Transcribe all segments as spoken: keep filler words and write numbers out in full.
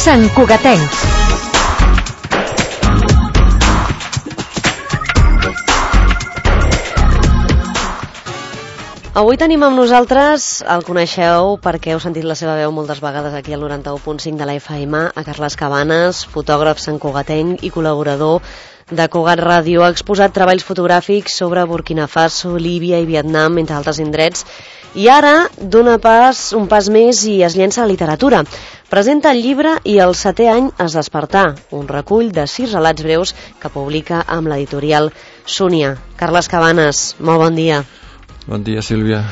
Sant Cugatencs. Avui tenim amb nosaltres, el coneixeu perquè heu sentit la seva veu moltes vegades aquí al noranta-u punt cinc de la F M, a Carles Cabanes, fotògraf santcugatenc i col·laborador de Cugat Ràdio. Ha exposat treballs fotogràfics sobre Burkina Faso, Líbia i Vietnam, entre altres indrets, i ara dona pas, un pas més i es llença a la literatura. Presenta el llibre I el setè any es despertà, un recull de sis relats breus que publica amb l'editorial Súnia. Carles Cabanes, molt bon dia. Bon dia, Sílvia.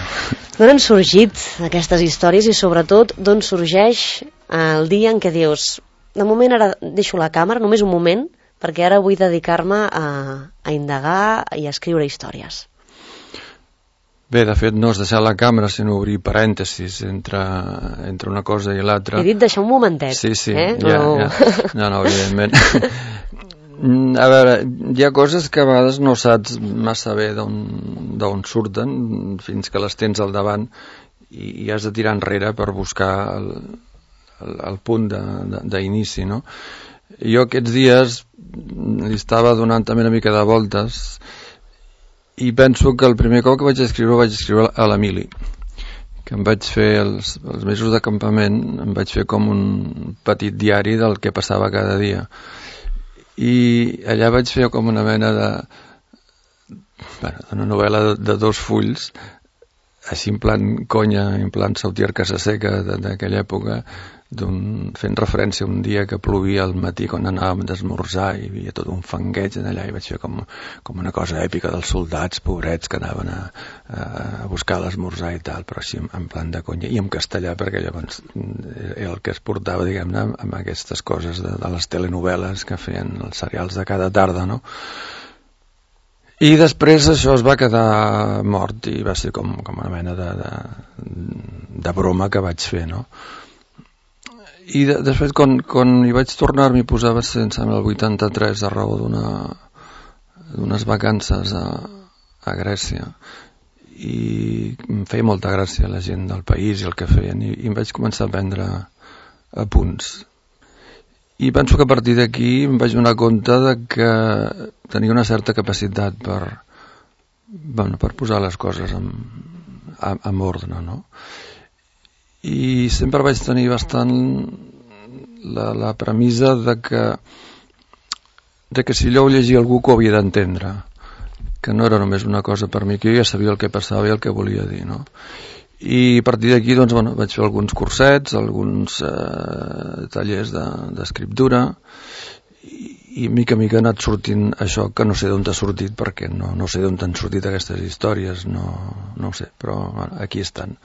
D'on han sorgit aquestes històries i sobretot d'on sorgeix el dia en què dius de moment ara deixo la càmera, només un moment, perquè ara vull dedicar-me a, a indagar i a escriure històries? Bé, de fet no és deixar la càmera sinó obrir parèntesis entre, entre una cosa i l'altra. He dit deixar un momentet. Sí, sí, eh? ja, no. ja. No, no, evidentment. A veure, hi ha coses que a vegades no saps massa bé d'on surten fins que les tens al davant i, i has de tirar enrere per buscar el, el, el punt d'inici, no? Jo aquests dies li estava donant també una mica de voltes i penso que el primer cop que vaig escriure vaig escriure a l'Emili, que em vaig fer els, els mesos de campament, em vaig fer com un petit diari del que passava cada dia. I allà vaig fer com una mena de bueno, una novel·la de, de dos fulls, així en plan conya, en plan Sautier Casa Seca d'aquella època, fent referència a un dia que plovia al matí quan anàvem d'esmorzar i hi havia tot un fangueig allà i vaig fer com, com una cosa èpica dels soldats pobrets que anaven a, a buscar l'esmorzar i tal, però així en plan de conya i en castellà, perquè llavors era el que es portava, diguem-ne, amb aquestes coses de, de les telenovel·les que feien els serials de cada tarda, no? I després això es va quedar mort i va ser com, com una mena de, de, de broma que vaig fer, no? I de, després quan, quan hi vaig tornar m'hi posava sense el vuitanta-tres a raó d'unes vacances a, a Grècia i em feia molta gràcia la gent del país i el que feien i, i em vaig començar a prendre apunts i penso que a partir d'aquí em vaig donar compte de que tenia una certa capacitat per, bueno, per posar les coses en, en, en ordre, no? I sempre vaig tenir bastant la, la premissa de que, de que si allò ho llegia algú que ho havia d'entendre, que no era només una cosa per mi, que jo ja sabia el que passava i el que volia dir, no? I a partir d'aquí doncs, bueno, vaig fer alguns cursets, alguns eh, tallers d'escriptura i, i mica a mica ha anat sortint això que no sé d'on ha sortit perquè no, no sé d'on han sortit aquestes històries, no, no ho sé, però bueno, aquí estan.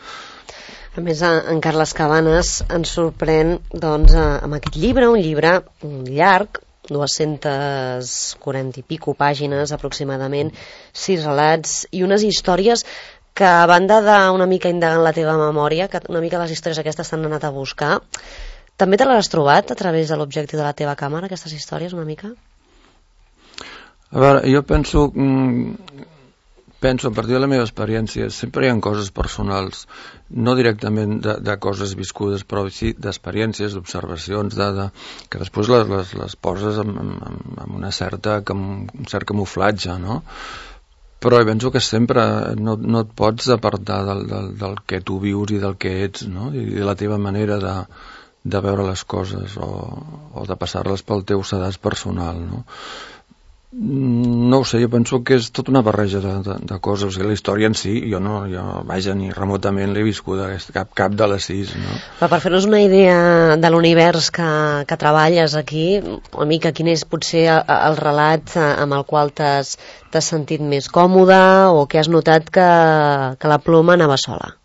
A més, en Carles Cabanes ens sorprèn doncs, amb aquest llibre, un llibre llarg, dues-centes quaranta i pico pàgines aproximadament, sis relats i unes històries que a banda d'una mica indagant la teva memòria, que una mica les històries aquestes t'han anat a buscar, també te les has trobat a través de l'objectiu de la teva càmera, aquestes històries, una mica? A veure, jo penso... Mm, penso, a partir de la meva experiència, sempre hi ha coses personals, no directament de, de coses viscudes, però sí d'experiències, d'observacions, de, de, que després les, les, les poses amb, amb, amb una certa, amb un cert camuflatge, no? Però penso que sempre no, no et pots apartar del, del, del que tu vius i del que ets, no? I de la teva manera de, de veure les coses o, o de passar-les pel teu sedàs personal, no? No ho sé, jo penso que és tota una barreja de, de, de coses, o sigui, la història en si jo no, jo, vaja, ni remotament l'he viscuda cap, cap de les sis, no? Però per fer-nos una idea de l'univers que, que treballes aquí, una mica quin és potser el, el relat amb el qual t'has sentit més còmode o que has notat que, que la ploma anava sola?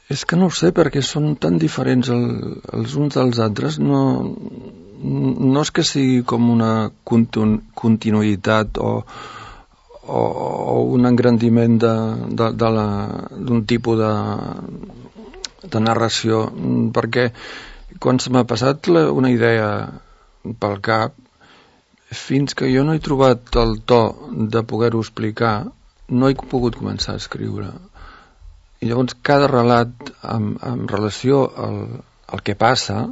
És que no ho sé, perquè són tan diferents el, els uns dels altres, no... no és que sigui com una continu, continuïtat o, o, o un engrandiment d'un tipus de, de narració, perquè quan se m'ha passat la, una idea pel cap, fins que jo no he trobat el to de poder-ho explicar, no he pogut començar a escriure. I llavors cada relat en, en relació al, el que passa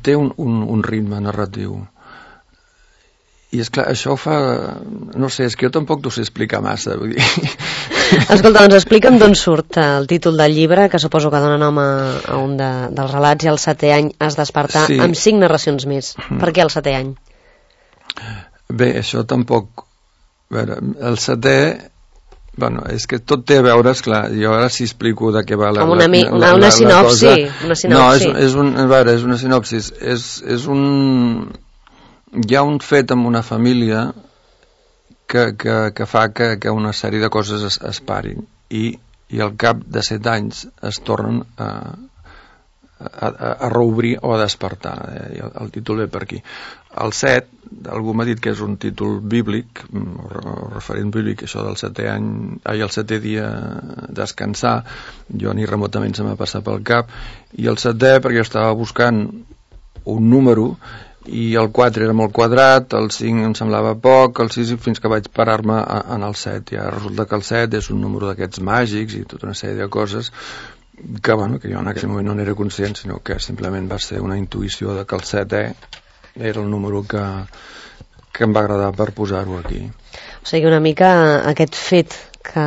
té un, un, un ritme narratiu. I és clar, això fa... No sé, és que jo tampoc t'ho sé explicar massa. Vull dir... Escolta, doncs explica'm d'on surt el títol del llibre, que suposo que dona nom a, a un de, dels relats, i al setè any has despertar sí. amb cinc narracions més. Mm. Per què el setè any? Bé, això tampoc... A veure, el setè... Bueno, és que tot té a veure, esclar, jo ara sí explico de què va la, una, la, una, la, una la, sinopsi, la cosa. Una sinopsi. No, és, és, un, a veure, és una sinopsis. És, és un... Hi ha un fet amb una família que, que, que fa que, que una sèrie de coses es, es parin i, i al cap de set anys es tornen a, a, a reobrir o a despertar. Eh? El, el títol ve per aquí. El set, algú m'ha dit que és un títol bíblic, o referent bíblic, això del setè any, ai, el setè dia descansar, jo ni remotament se m'ha passat pel cap, i el setè perquè jo estava buscant un número i el quatre era molt quadrat, el cinc em semblava poc, el sis fins que vaig parar-me en el set. Ja resulta que el set és un número d'aquests màgics i tota una sèrie de coses que, bueno, que jo en aquell moment no n'era conscient, sinó que simplement va ser una intuïció de que el setè era el número que, que em va agradar per posar-ho aquí. O sigui, una mica aquest fet que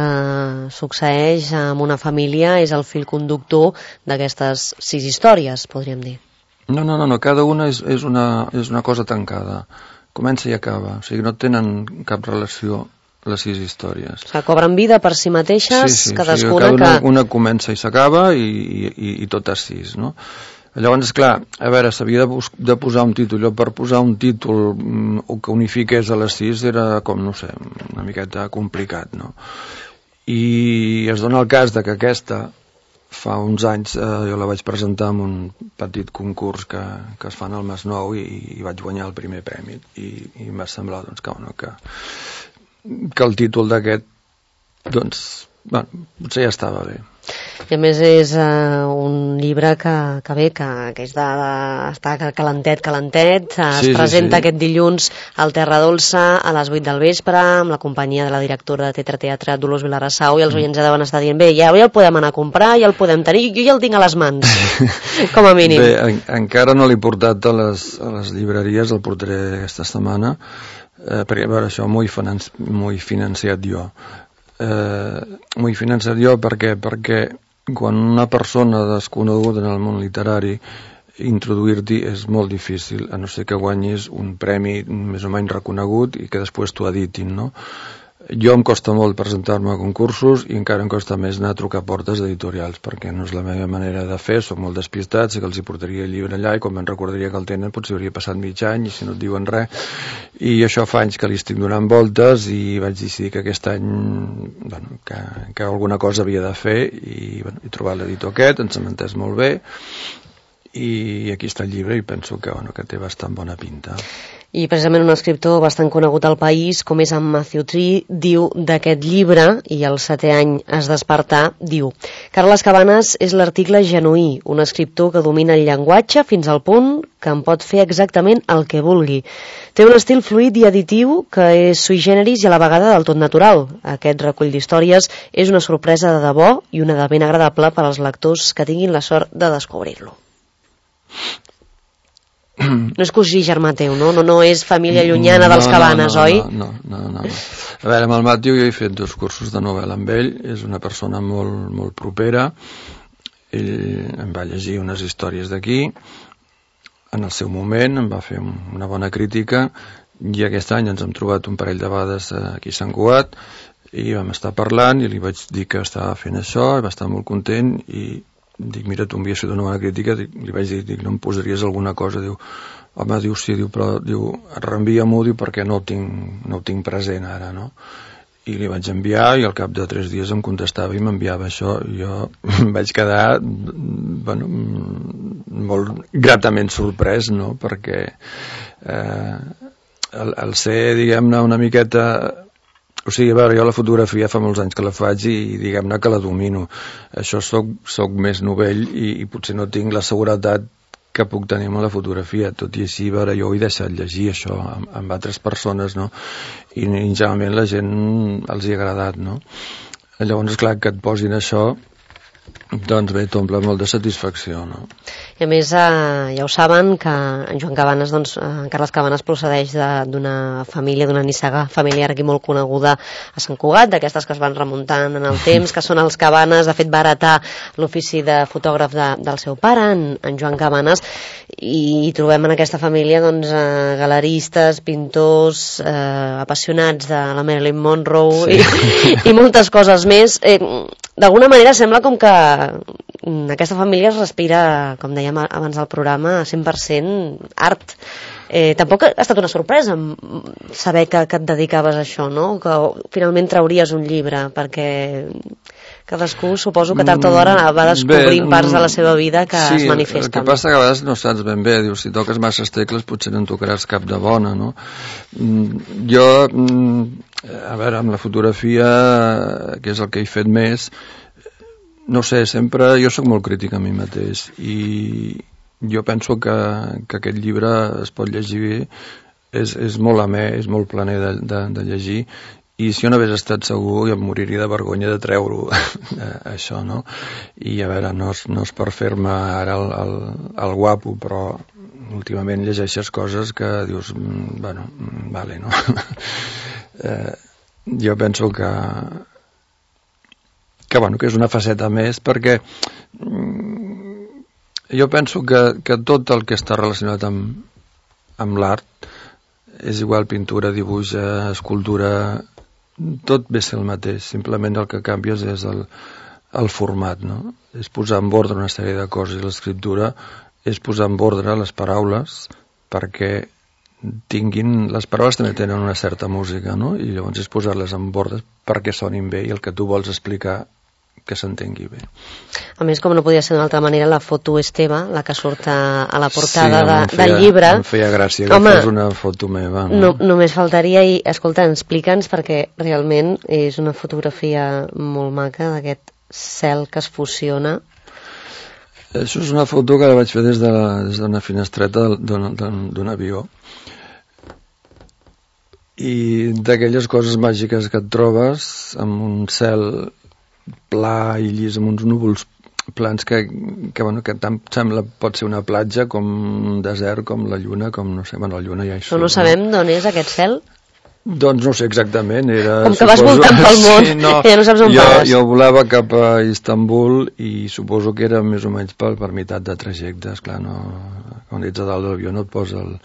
succeeix amb una família és el fil conductor d'aquestes sis històries, podríem dir. No, no, no, no, cada una és, és, una, és una cosa tancada. Comença i acaba. O sigui, no tenen cap relació les sis històries. O sigui, cobren vida per si mateixes, sí, sí, cadascuna o sigui, cada una, que... una comença i s'acaba i, i, i totes sis, no? Llavors, esclar, a veure, s'havia de, de posar un títol. Jo per posar un títol mm, que unifiqués a les sis era com, no sé, una miqueta complicat, no? I es dona el cas de que aquesta... Fa uns anys eh, jo la vaig presentar en un petit concurs que, que es fan al Masnou i, i vaig guanyar el primer premi i, i em va semblar doncs, que, bueno, que, que el títol d'aquest doncs, bueno, potser ja estava bé. I a més és uh, un llibre que, que bé, que, que és de, de, està calentet, calentet, es sí, presenta sí, sí. aquest dilluns al Terra Dolça a les vuit del vespre amb la companyia de la directora de Teatre Teatre Dolors Vilarassau i els oients ja deuen estar dient bé, ja, ja el podem anar a comprar, ja el podem tenir, jo ja el tinc a les mans, com a mínim. Bé, en, encara no l'he portat a les, a les llibreries, el portaré aquesta setmana, eh, perquè a veure, això m'ho he financi, financiat jo. Eh, m'ho he financiat jo perquè, perquè quan una persona desconeguda en el món literari introduir-t'hi és molt difícil, a no ser que guanyis un premi més o menys reconegut i que després t'ho editin, no? Jo em costa molt presentar-me a concursos i encara em costa més anar a trucar a portes editorials perquè no és la meva manera de fer, soc molt despistat, sé que els hi portaria el llibre allà i quan me'n recordaria que el tenen potser hauria passat mig any i si no et diuen res, i això fa anys que li estic donant voltes i vaig decidir que aquest any bueno, que, que alguna cosa havia de fer i bueno, he trobat l'editor aquest, ens hem entès molt bé i aquí està el llibre i penso que, bueno, que té bastant bona pinta. I precisament un escriptor bastant conegut al país, com és en Matthew Tree, diu d'aquest llibre, i el setè any es despertar, diu: Carles Cabanes és l'article genuí, un escriptor que domina el llenguatge fins al punt que en pot fer exactament el que vulgui. Té un estil fluid i editiu que és sui generis i a la vegada del tot natural. Aquest recull d'històries és una sorpresa de debò i una de ben agradable per als lectors que tinguin la sort de descobrir-lo. No és cosí germà teu, no? No, no és família llunyana dels Cabanes, no, no, oi? No, no, no, no. A veure, amb el Matthew jo he fet dos cursos de novel·la amb ell, és una persona molt, molt propera, ell em va llegir unes històries d'aquí, en el seu moment em va fer una bona crítica i aquest any ens hem trobat un parell de vegades aquí a Sant Cugat i vam estar parlant i li vaig dir que estava fent això, i va estar molt content i dic, mira, tu m'havies fet una bona crítica, dic, li vaig dir, dic, no em posaries alguna cosa, diu, home, diu, sí, diu, però, diu, reenvia-m'ho, diu, perquè no ho tinc, no ho tinc present ara, no? I li vaig enviar i al cap de tres dies em contestava i m'enviava això i jo vaig quedar, bueno, molt gratament sorprès, no?, perquè eh, el, el ser, diguem-ne, una miqueta... O sigui, a veure, jo la fotografia fa molts anys que la faig i diguem-ne que la domino. Això soc, soc més novell i, i potser no tinc la seguretat que puc tenir amb la fotografia. Tot i així, a veure, jo ho he deixat llegir, això, amb, amb altres persones, no? I, i generalment la gent els hi ha agradat, no? Llavors, és clar, que et posin això, doncs bé, t'omple molt de satisfacció, no? I a més, eh, ja ho saben, que en Joan Cabanes, doncs, en Carles Cabanes procedeix d'una família, d'una nissaga familiar aquí molt coneguda a Sant Cugat, d'aquestes que es van remuntant en el temps, que són els Cabanes. De fet, va heretar l'ofici de fotògraf de, del seu pare, en, en Joan Cabanes, i, i trobem en aquesta família doncs, eh, galeristes, pintors, eh, apassionats de la Marilyn Monroe, sí. i, i moltes coses més. Eh, D'alguna manera sembla com que aquesta família es respira, com dèiem abans del programa, cent per cent art. Eh, tampoc ha estat una sorpresa saber que, que et dedicaves a això, no? Que finalment trauries un llibre, perquè cadascú suposo que tard o d'hora va descobrint bé, parts de la seva vida que sí, es manifesten. El que passa que a vegades no saps ben bé, dius, si toques masses tecles potser no en tocaràs cap de bona, no? Jo, a veure, amb la fotografia, que és el que he fet més, no sé, sempre jo sóc molt crític a mi mateix i jo penso que, que aquest llibre es pot llegir bé, és, és molt amè, és molt planer de, de, de llegir, i si jo no hagués estat segur jo em moriria de vergonya de treure-ho això, no? I a veure, no és, no és per fer-me ara el, el, el guapo, però últimament llegeixes coses que dius, bueno, vale, no? eh, jo penso que que, bueno, que és una faceta més, perquè jo penso que, que tot el que està relacionat amb, amb l'art, és igual pintura, dibuix, escultura, tot ve ser el mateix, simplement el que canvies és el, el format, no? És posar en ordre una sèrie de coses, i l'escriptura és posar en ordre les paraules perquè tinguin... Les paraules també tenen una certa música, no? I llavors és posar-les en ordre perquè sonin bé i el que tu vols explicar que s'entengui bé. A més, com no podia ser d'una altra manera, la foto és teva, la que surt a, a la portada sí, de, feia, del llibre. Em feia gràcia que Home, fos una foto meva. No? No, només faltaria, i escolta, explica'ns, perquè realment és una fotografia molt maca d'aquest cel que es fusiona. Això és una foto que la vaig fer des d'una de des finestreta d'un avió. I d'aquelles coses màgiques que et trobes amb un cel pla i llis, amb uns núvols plans que, que, bueno, que tant sembla pot ser una platja com un desert, com la lluna, com no sé, bueno, la lluna ja hi surt. Però no sabem d'on és aquest cel? Doncs no sé exactament. Era, com que vas suposo, voltant pel món, sí, no, ja no saps on jo, vas. Jo volava cap a Istanbul i suposo que era més o menys per, per meitat de trajecte. Esclar, no, quan ets a dalt de l'avió no et posa el,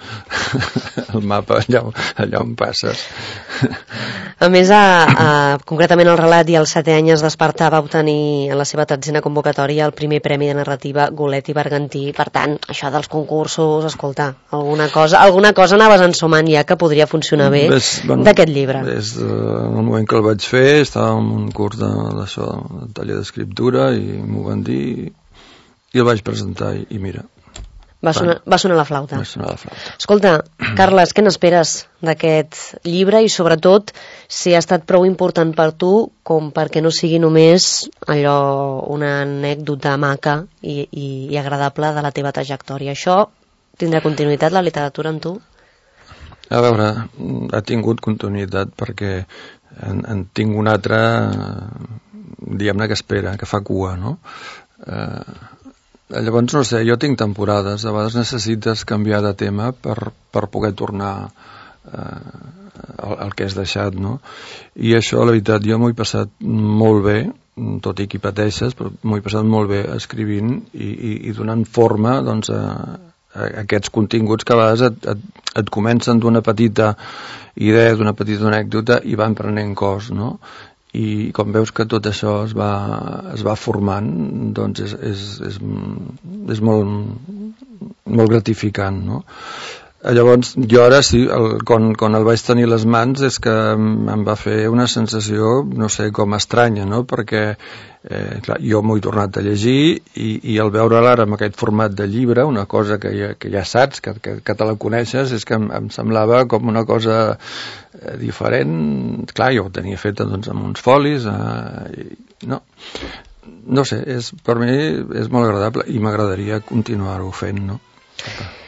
el mapa allà, allà on passes. A més, a, a, concretament el relat I els setè anys es despertar va obtenir en la seva tretzena convocatòria el primer premi de narrativa Golet i Bergantí. Per tant, això dels concursos, escolta, alguna cosa, alguna cosa anaves ensumant ja que podria funcionar bé Ves, bueno, d'aquest llibre. Des del moment que el vaig fer estava en un curs d'això, de, de taller d'escriptura, i m'ho van dir i el vaig presentar i, i mira. Va sonar, va sonar la flauta. Va sonar la flauta. Escolta, Carles, què n'esperes d'aquest llibre i sobretot si ha estat prou important per tu com perquè no sigui només allò, una anècdota maca i, i, i agradable de la teva trajectòria? Això tindrà continuïtat, la literatura, amb tu? A veure, ha tingut continuïtat perquè en, en tinc una altra, diguem-ne, que espera, que fa cua, no? Eh... Llavors, no sé, jo tinc temporades, a vegades necessites canviar de tema per, per poder tornar eh, al, al que has deixat, no? I això, la veritat, jo m'ho he passat molt bé, tot i que hi pateixes, però m'ho he passat molt bé escrivint i, i, i donant forma, doncs, a, a aquests continguts que a vegades et, et, et comencen d'una petita idea, d'una petita anècdota i van prenent cos, no? I com veus que tot això es va, es va formant, doncs és, és, és, és molt, molt gratificant, no? Llavors, jo ara sí, el, quan, quan el vaig tenir a les mans és que em va fer una sensació, no sé, com estranya, no? Perquè eh, clar, jo m'ho he tornat a llegir i, i al veure-la ara amb aquest format de llibre, una cosa que ja, que ja saps, que, que, que te la coneixes, és que em, em semblava com una cosa eh, diferent. Clar, jo ho tenia feta doncs, amb uns folis, eh, i, no, no sé, és, per mi és molt agradable i m'agradaria continuar-ho fent, no?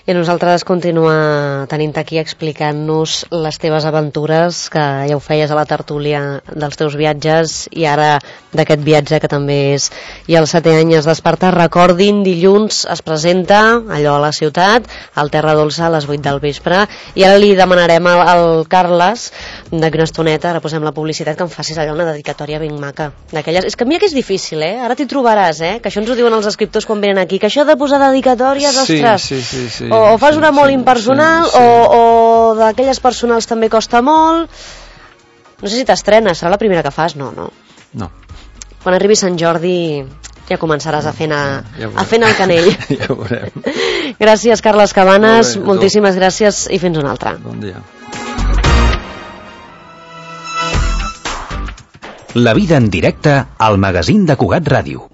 I a nosaltres continuar tenint aquí explicant-nos les teves aventures, que ja ho feies a la tertúlia dels teus viatges, i ara d'aquest viatge que també és i el setè any es desperta. Recordin, dilluns es presenta allò a la ciutat, al Terra Dolça a les vuit del vespre, i ara li demanarem al, al Carles d'aquí una estoneta, ara posem la publicitat, que em facis allò una dedicatòria ben maca d'aquelles. És que mira que és difícil, eh? Ara t'hi trobaràs, eh? Que això ens ho diuen els escriptors quan venen aquí, que això de posar dedicatòries, sí, ostres, sí, sí, sí, o, o fas sí, una molt sí, impersonal, sí, sí. o, o d'aquelles personals també costa molt. No sé si t'estrenes, serà la primera que fas? No, no. No. Quan arribi Sant Jordi ja començaràs a fer, a, ja a fer el canell. Ja ho veurem. Gràcies, Carles Cabanes, Molt bé, moltíssimes gràcies i fins una altra. Bon dia. La vida en directe al magazín de Cugat Ràdio.